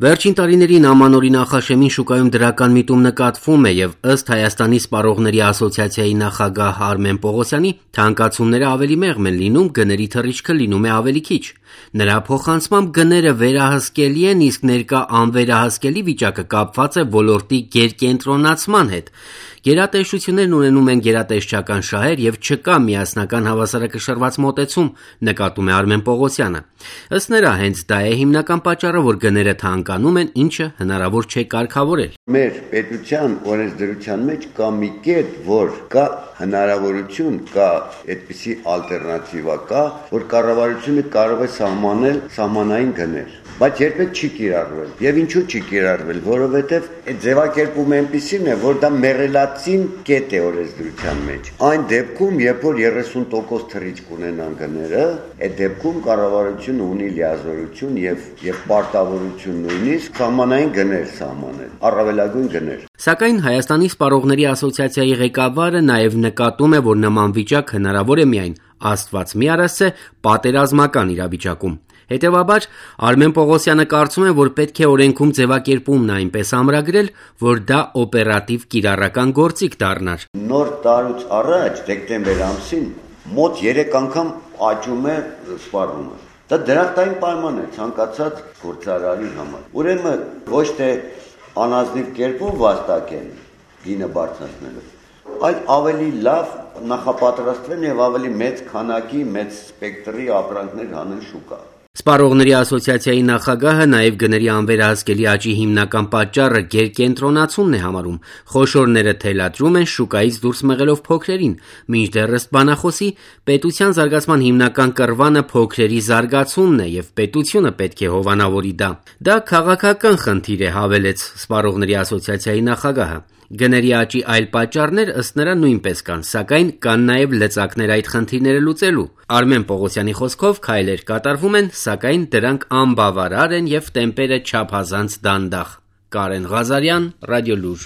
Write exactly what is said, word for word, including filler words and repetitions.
Վերջին տարիներին ամանորի նախաշեմին շուկայում դրական միտում նկատվում է եւ ըստ Հայաստանի սպառողների ասոցիացիայի նախագահ Արմեն Պողոսյանի, թանկացումները ավելի մեղմ են լինում, գների թռիչքը լինում է ավելի քիչ։ Նրա փոխանցմամբ գները վերահսկելի են, իսկ ներկա անվերահսկելի վիճակը կապված է ոլորտի գերկենտրոնացման հետ։ Գերատեսչություններն ունենում են գերատեսչական շահեր եւ չկա միասնական հավասարակշռված մոտեցում, նկատում է Արմեն Պողոսյանը։ Ըստ նրա, հենց դա է հիմնական պատճառը, որ գները թանկանում են, ինչը հնարավոր չէ կարգավորել։ Մեր պետության օրենսդրության մեջ կա մի կետ, որ կա հնարավորություն, կա այդպիսի ալտերնատիվա կա, որ կառավարությունը կարող է սահմանել սահմանային գներ, բայց երբեք չի կիրառվել։ Եվ ինչու չի կիրառվել, որովհետև այդ ձևակերպումը այնպիսին է, որ դա մեղելացին կետ է օրենսդրության մեջ։ Այն դեպքում, երբ որ երեսուն տոկոս թռիչք ունենան գները, այդ դեպքում կառավարությունը ունի լիազորություն եւ եւ պարտավորություն նույնիսկ սահմանային գներ սահմանել, առավելագույն գներ։ Սակայն Հայաստանի սպառողների ասոցիացիայի ղեկավարը նաև նկատում է, որ նման վիճակ հնարավոր է միայն Աստված մի արասցե պատերազմական իրավիճակում։ Հետևաբար Արմեն Պողոսյանը կարծում է, որ պետք է օրենքում ձևակերպումն այնպես ամրագրել, որ դա օպերատիվ կիրառական գործիք դառնար։ Նոր տարուց առաջ դեկտեմբեր ամսին մոտ երեք անգամ աճում է սպառումը։ Դա դրախտային պայման է ցանկացած գործարարի համար։ Ուրեմն ոչ թե անազնիվ կերպով վաստակեն գինը բարձրացնելով, այլ ավելի լավ նախապատրաստվեն եւ ավելի մեծ քանակի, մեծ սպեկտրի ապրանքներ հանեն շուկա։ Սպառողների ասոցիացիայի նախագահը նաև գների անվերահսկելի աճի հիմնական պատճառը գերկենտրոնացումն է համարում։ Խոշորները թելադրում են շուկայից դուրս մղելով փոքրերին, մինչդեռ ըստ բանախոսի պետության զարգացման հիմնական կռվանը փոքրերի զարգացումն է եւ պետությունը պետք է հովանավորի դա։ Դա քաղաքական խնդիր է, հավելեց Սպառողների ասոցիացիայի նախագահը։ Գների աճի այլ պատճառներ ըստ նրա նույնպես կան, սակայն կան նաև լծակներ այդ խնդիրները լուծելու։ Արմեն Պողոսյանի խոսքով քայլեր կատարվում են, սակայն դրանք անբավարար են եւ տեմպերը չափազանց դանդաղ։ Կարեն Ղազարյան, Ռադիոլուր։